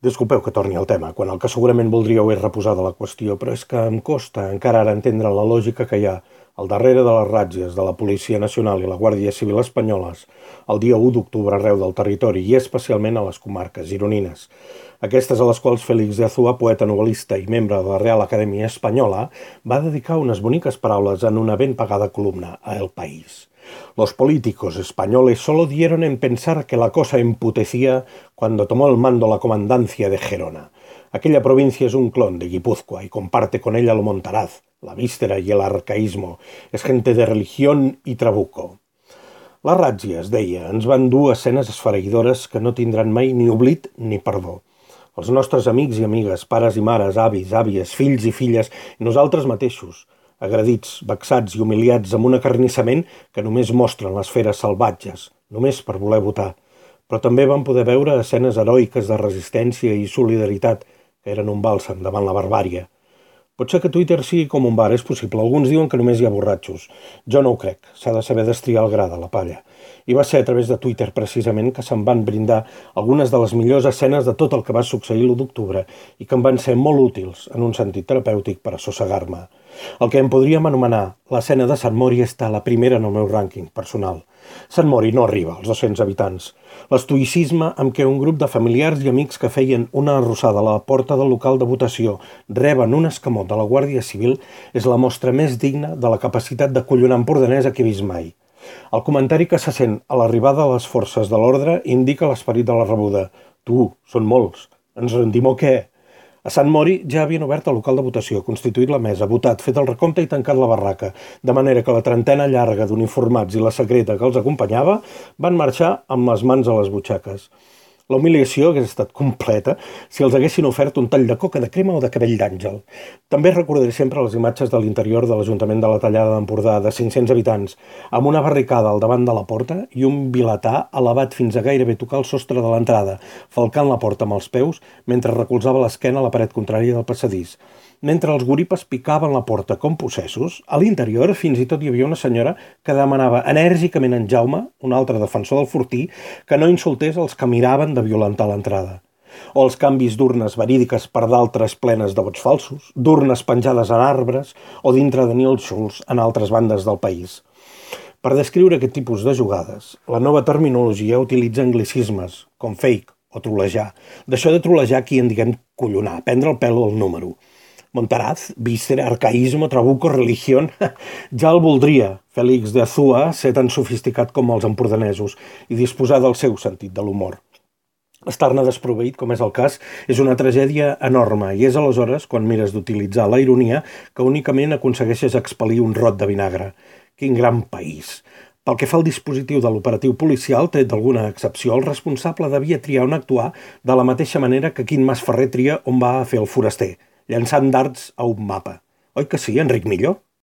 Disculpeu que torni al tema, quan el que segurament voldríeu és reposar de la qüestió, però és que em costa encara ara entendre la lògica que hi ha al darrere de les ràtzies de la Policia Nacional i la Guàrdia Civil espanyoles el dia 1 d'octubre arreu del territori i especialment a les comarques gironines. Aquestes a les quals Félix de Azúa, poeta novel·lista i membre de la Real Acadèmia Espanyola, va dedicar unes boniques paraules en una ben pagada columna a El País. Los políticos españoles solo dieron en pensar que la cosa emputecía cuando tomó el mando la comandancia de Gerona. Aquella provincia es un clon de Guipúzcoa y comparte con ella lo montaraz, la víscera y el arcaísmo. Es gente de religión y trabuco. Les ràtzies, deia, ens van dur escenes esfereïdores que no tindran mai ni oblit ni perdó. Els nostres amics i amigues, pares i mares, avis, àvies, fills i filles, i nosaltres mateixos, agredits, vexats i humiliats amb un acarnissament que només mostren les feres salvatges, només per voler votar. Però també vam poder veure escenes heroiques de resistència i solidaritat que eren un bàlsam davant la barbàrie. Pot ser que Twitter sigui com un bar, és possible. Alguns diuen que només hi ha borratxos. Jo no ho crec. S'ha de saber destriar el gra de la palla. I va ser a través de Twitter, precisament, que se'm van brindar algunes de les millors escenes de tot el que va succeir l'1 d'octubre i que em van ser molt útils en un sentit terapèutic per assossegar-me. El que en podríem anomenar l'escena de Sant Mori està a la primera en el meu rànquing personal. Sant Mori no arriba als 200 habitants. L'estoïcisme amb què un grup de familiars i amics que feien una arrossada a la porta del local de votació reben un escamot de la Guàrdia Civil és la mostra més digna de la capacitat d'acollonar empordanesa que he vist mai. El comentari que se sent a l'arribada de les forces de l'ordre indica l'esperit de la rebuda. Tu, són molts. Ens rendim o què? A Sant Mori ja havien obert el local de votació, constituït la mesa, votat, fet el recompte i tancat la barraca, de manera que la trentena llarga d'uniformats i la secreta que els acompanyava van marxar amb les mans a les butxaques. La humiliació hagués estat completa si els haguessin ofert un tall de coca de crema o de cabell d'àngel. També recordaré sempre les imatges de l'interior de l'Ajuntament de la Tallada d'Empordà, de 500 habitants, amb una barricada al davant de la porta i un vilatà elevat fins a gairebé tocar el sostre de l'entrada, falcant la porta amb els peus mentre recolzava l'esquena a la paret contrària del passadís. Mentre els goripes picaven la porta com possessos, a l'interior fins i tot hi havia una senyora que demanava enèrgicament a en Jaume, un altre defensor del fortí, que no insultés els que miraven de violentar l'entrada. O els canvis d'urnes verídiques per d'altres plenes de vots falsos, d'urnes penjades en arbres o dintre de nínxols en altres bandes del país. Per descriure aquest tipus de jugades, la nova terminologia utilitza anglicismes, com fake o trolejar. D'això de trolejar aquí en diguem collonar, prendre el pèl al número. Montaraz, víscera, arcaísmo, trabuco, religión... Ja el voldria, Félix de Azúa, ser tan sofisticat com els empordanesos i disposar del seu sentit de l'humor. Estar-ne desproveït, com és el cas, és una tragèdia enorme i és aleshores, quan mires d'utilitzar la ironia, que únicament aconsegueixes expel·lir un rot de vinagre. Quin gran país! Pel que fa al dispositiu de l'operatiu policial, tret d'alguna excepció, el responsable devia triar on actuar de la mateixa manera que Quim Masferrer tria on va a fer el foraster, llançant dards a un mapa. Oi que sí, Enric Millo?